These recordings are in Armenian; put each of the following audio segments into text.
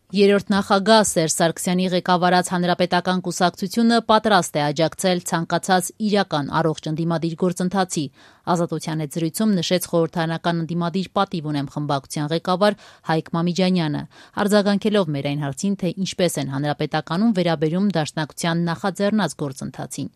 Երրորդ նախագահ Սերժ Սարգսյանի ղեկավարած Հանրապետական կուսակցությունը պատրաստ է աջակցել ցանկացած իրական առողջ ընդդիմադիր գործընթացի, Ազատության հետ զրույցում նշեց խորհրդարանական ընդդիմադիր պատիվ ունեմ խմբակցության ղեկավար Հայկ Մամիջանյանը, արձագանքելով մեր այն հարցին, թե ինչպես են Հանրապետականում վերաբերում Դաշնակցության նախաձեռնած գործընթացին։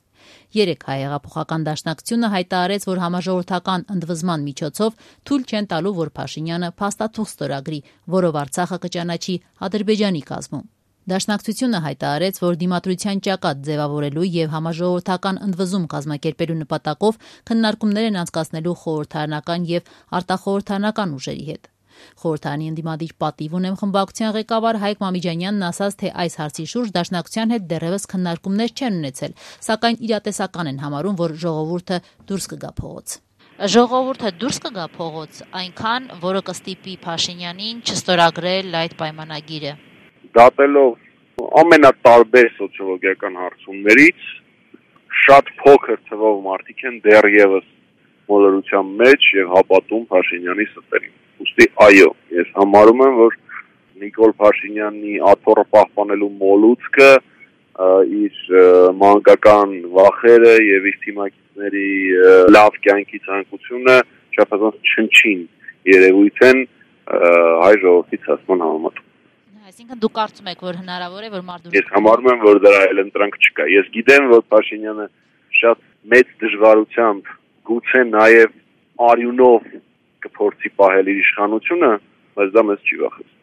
Երեկ Հայհեղափոխական դաշնակցությունը հայտարարեց, որ համաժողովրդական ընդվզման միջոցով թույլ չեն տալու, որ Փաշինյանը փաստաթուղթ ստորագրի, որով Արցախը կճանաչի Ադրբեջանի կազմում։ Դաշնակցությունը հայտարարեց, որ դիմադրության ճակատ ձևավորելու եւ համաժողովրդական ընդվզում կազմակերպելու նպատակով քննարկումներ են անցկացնելու խորհրդարանական եւ արտախորհրդարանական ուժերի հետ։ Խորհրդարանի ընդդիմադիր պատիվ ունեմ խմբակցության ղեկավար Հայկ Մամիջանյանն ասաց, թե այս հարցի շուրջ Դաշնակցության հետ դեռևս քննարկումներ չեն ունեցել, սակայն իրատեսական են համարում, որ ժողովուրդը դուրս կգա փողոց։ Ժողովուրդը դուրս կգա փողոց, այնքան, որը կստիպի Փաշինյանին չստորագրել այդ պայմանագիրը։ Դատելով ամենատարբեր սոցիոլոգիական հարցումներից շատ փոքր թվով մարդիկ են դեռևս մոլորության մեջ եւ հապատում Փաշինյանի ստերին։ Ուստի այո, ես համարում եմ, որ Նիկոլ Փաշինյանի աթոռը պահպանելու մոլուցքը իր մանկական վախերը եւ իր թիմակիցների լավ կյանքի ցանկությունը չափազանց չնչին երևույթ են հայ ժողովրդի ցածման համեմատում։ Այսինքն դուք կարծում եք, որ հնարավոր է, որ մարդու։ Ես համարում եմ, որ դրա այլ ընտրանք չկա։ Ես գիտեմ, որ Փաշինյանը շատ մեծ դժվարությամբ, գուցե նաեւ արյունով կփորձի պահել իր իշխանությունը, բայց դա մեզ չի վախեցնում։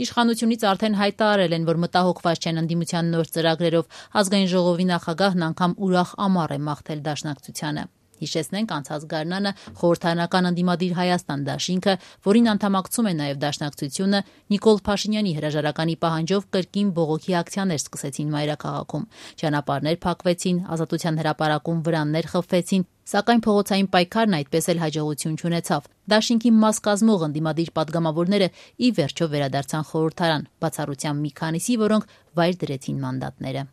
Իշխանությունից արդեն հայտարարել են, որ մտահոգված չեն ընդդիմության նոր ծրագրերով, ազգային ժողովի նախագահն անգամ ուրախ ամառ է մաղթել Դաշնակցությանը։ Հիշեցնենք, անցած գարնանը խորհրդարանական ընդդիմադիր Հայաստան դաշինքը, որին անդամակցում է նաև Դաշնակցությունը, Նիկոլ Փաշինյանի հրաժարականի պահանջով կրկին բողոքի ակցիաներ սկսեցին մայրաքաղաքում։ Ճանապարհներ փակվեցին, Ազատության հրապարակում վրաններ խփվեցին, սակայն փողոցային պայքարն այդպես էլ հաջողություն չունեցավ։ Դաշինքի մաս կազմող ընդդիմադիր падգամավորները ի վերջո վերադարձան խորհրդարան, բացառությամբ մի քանիսի, որոնք վայր դրեցին մանդատները։